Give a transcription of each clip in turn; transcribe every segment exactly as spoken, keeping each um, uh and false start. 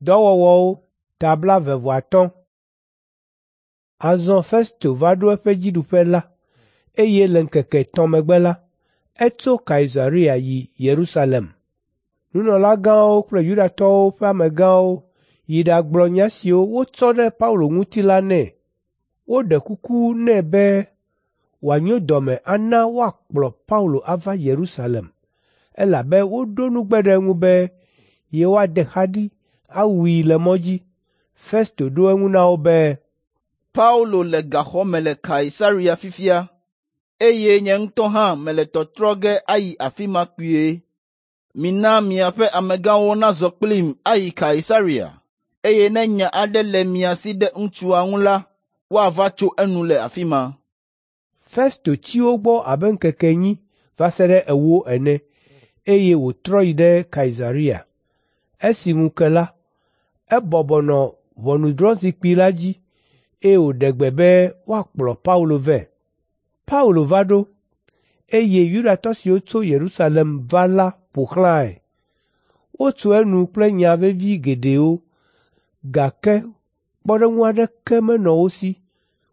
Dɔwɔwɔwo ta blaeve-vɔ-atɔ̃. Azɔ Festo va ɖo eƒe dziɖuƒe la, eye le ŋkeke etɔ̃ megbe la, etso Kaisarea yi Yerusalem. Nunɔlagãwo kple Yudatɔwo ƒe amegãwo yi ɖagblɔ nya siwo wotsɔ ɖe Paulo ŋuti la nɛ. Woɖe kuku nɛ be wòanyo dɔme ana woakplɔ Paulo ava Yerusalem, elabe woɖo nugbe ɖe eŋu be yewoade xa ɖi awui le mɔ dzi. Festo ɖo eŋu na wo be, Paulo le gaxɔ me le Kaisarea fifia, eye nye ŋutɔ hã mele tɔtrɔ ge ayi afi ma kpuie. Mina miaƒe amegãwo nazɔ kplim ayi Kaisarea, eye ne nya aɖe le mia si ɖe ŋutsua ŋu la, woava tso enu le afi ma. Festo tsi wo gbɔ abe ŋkeke enyi va se ɖe ewo ene, eye wòtrɔ yi ɖe Kaisarea. Esi ŋu ke la, ebɔbɔ nɔ ʋɔnudrɔ̃zikpui la dzi, eye wòɖe gbe be woakplɔ Paulo vɛ. Paulo va ɖo, eye Yudatɔ siwo tso Yerusalem va la ƒo xlãe. Wotso enu kple nya vevi geɖewo, gake kpɔɖeŋu aɖeke menɔ wo si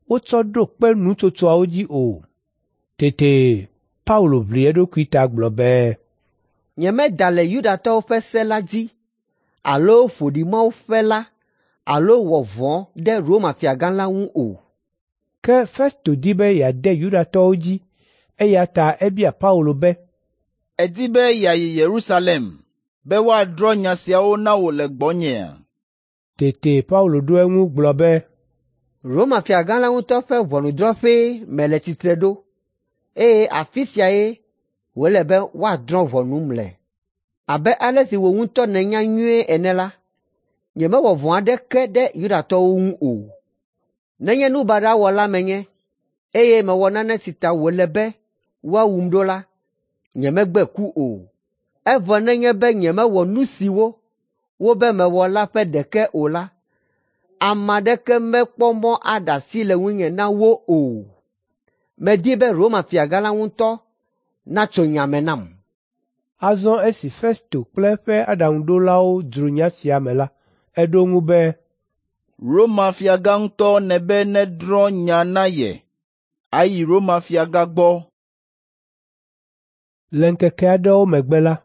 wotsɔ ɖo kpe nutsotsoawo dzi o. Tete Paulo ʋli eɖokui ta gblɔ be, Nyemeda le Yudatɔwo ƒe se la dzi alo ƒo ɖi Mawu ƒe la alo wɔ vɔ̃ ɖe Roma fiagã la ŋu o. Ke Festo di be yeade Yudatɔwo dzi, eya ta ebia Paulo be, Èdi be yeayi Yerusalem be woadrɔ̃ nya siawo na wò le gbɔnyea? Tete Paulo ɖo eŋu gblɔ be, Roma fiagã la ŋutɔ ƒe ʋɔnudrɔ̃ƒee mele tsitre ɖo, eye afi siae wòle be woadrɔ̃ ʋɔnum le. Abe ale si wò ŋutɔ nènya nyuie ene la, nyemewɔ vɔ̃ aɖeke ɖe Yudatɔwo ŋu o. Nenye nu baɖa wɔla menye, eye mewɔ nane si ta wòle be woawum ɖo la, nyemegbe ku o. Evɔ nenye be nyemewɔ nu siwo wobe mewɔ la ƒe ɖeke o la, ame aɖeke mekpɔ mɔ aɖe asi le ŋunye na wo o. Medi be Roma fiagã la ŋutɔ natso nya me nam. Azɔ esi Festo kple eƒe aɖaŋuɖolawo dzro nya sia me la, eɖo eŋu be, Roma fiagã ŋutɔ nebe nedrɔ̃ nya na ye. Ayi Roma fiagã gbɔ. Le ŋkeke aɖewo megbe la,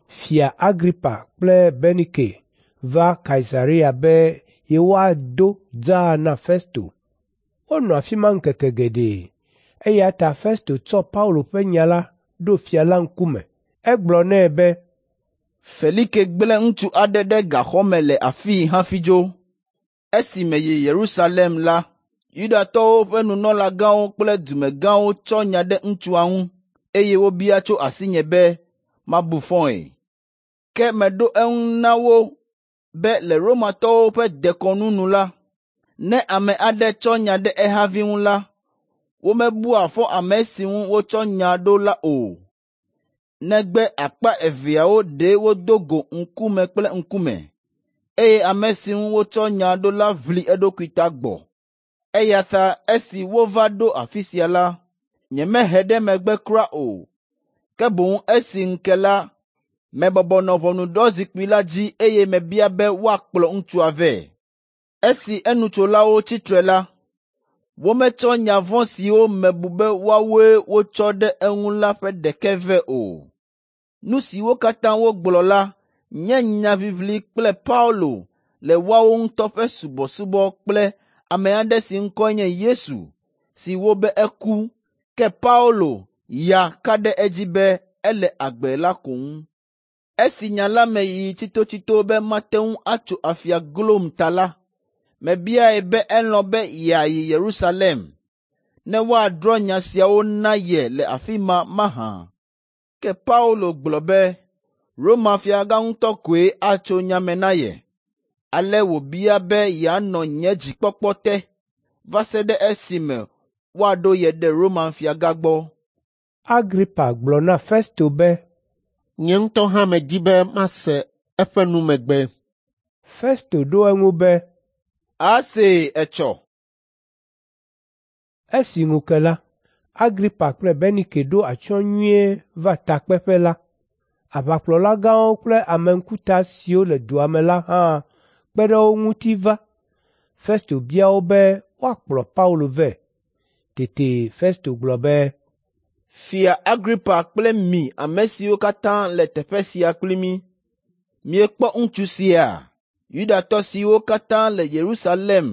Fia Agripa kple Bernike va Kaisarea be yewoado dzaa na Festo. Wonɔ afi ma ŋkeke geɖe, eya ta Festo tsɔ Paulo ƒe nya la ɖo fia la ŋkume. Egblɔ nɛ be, Felike gblẽ ŋutsu aɖe ɖe gaxɔ me le afii hafi dzo. Esi meyi Yerusalem la, Yudatɔwo ƒe nunɔlagãwo kple dumegãwo tsɔ nya ɖe ŋutsua ŋu, eye wobia tso asinye be mabu fɔe. Ke meɖo eŋu na wo be le Romatɔwo ƒe dekɔnu nu la, ne ame aɖe tsɔ nya ɖe ehavi ŋu la, womebua fɔ ame si ŋu wotsɔ nya ɖo la o, negbe akpa eveawo ɖe wodo go ŋkume kple ŋkume, eye ame si ŋu wotsɔ nya ɖo la ʋli eɖokui ta gbɔ. Eya ta esi wova ɖo afi sia la, nyemehe ɖe megbe kura o, ke boŋ esi ŋu ke la, mebɔbɔ nɔ ʋɔnudrɔ̃zikpui la dzi eye mebia be woakplɔ ŋutsua vɛ. Esi enutsolawo tsi tre la, wometsɔ nya vɔ̃ siwo mebu be woawoe wotsɔ ɖe eŋu la ƒe ɖeke vɛ o. Nu siwo katã wogblɔ la nye nyaʋiʋli kple Paulo le woawo ŋutɔ ƒe subɔsubɔ kple ame aɖe si ŋkɔe nye Yesu, si wobe eku, ke Paulo ya ka ɖe edzi be ele agbe la ko ŋu. Esi nya la me yi tsitotsito be mate ŋu atso afia glom ta la, mebiae be elɔ̃ be yeayi Yerusalem ne woadrɔ̃ nya siawo na ye le afi ma mahã. Ke Paulo gblɔ be Roma fiagã ŋutɔ koe atso nya me na ye. Ale wòbia be yeanɔ nye dzikpɔkpɔ te va se ɖe esime woaɖo ye ɖe Roma fiagã gbɔ. Agripa gblɔ na Festo be, Nye ŋutɔ hã medi be mase eƒe numegbe. Festo ɖo eŋu be, Asee etsɔ. Esi ŋu ke la, Agripa kple Bernike ɖo atsyɔ̃ nyuie va takpeƒe la. Aʋakplɔlagãwo kple ame ŋkuta siwo le dua me la hã kpe ɖe wo ŋuti va. Festo bia wo be woakplɔ Paulo vɛ. Tete Festo gblɔ be, Fia Agripa kple mi ame siwo katã le teƒe sia kpli mí, miekpɔ ŋutsu sia? Yudatɔ siwo katã le Yerusalem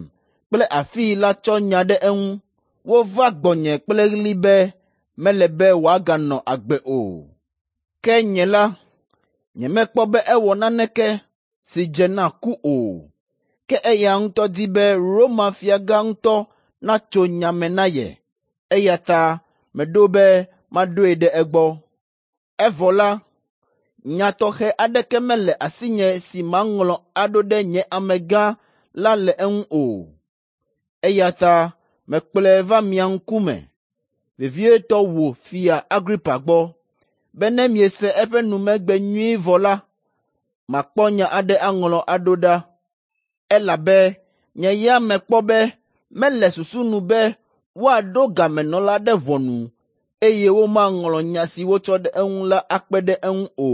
kple afii la tsɔ nya ɖe eŋu. Wova gbɔnye kple ɣli be mele be wòaganɔ agbe o. Ke nye la, nyemekpɔ be ewɔ naneke si dze na ku o. Ke eya ŋutɔ di be Roma fiagã ŋutɔ natso nya me na ye, eya ta meɖo be maɖoe ɖe egbɔ. Evɔ la, nya tɔxɛ aɖeke mele asinye si maŋlɔ aɖo ɖe nye amegã la le eŋu o. Eya ta mekplɔe va mia ŋkume, vevietɔ wò Fia Agripa gbɔ, be ne miese eƒe numegbe nyuie vɔ la, makpɔ nya aɖe aŋlɔ aɖo ɖa. Elabe nye ya mekpɔ be mele susu nu be woaɖo gamenɔla ɖe ʋɔnu, eye womaŋlɔ nya si wotsɔ ɖe eŋu la akpe ɖe eŋu o.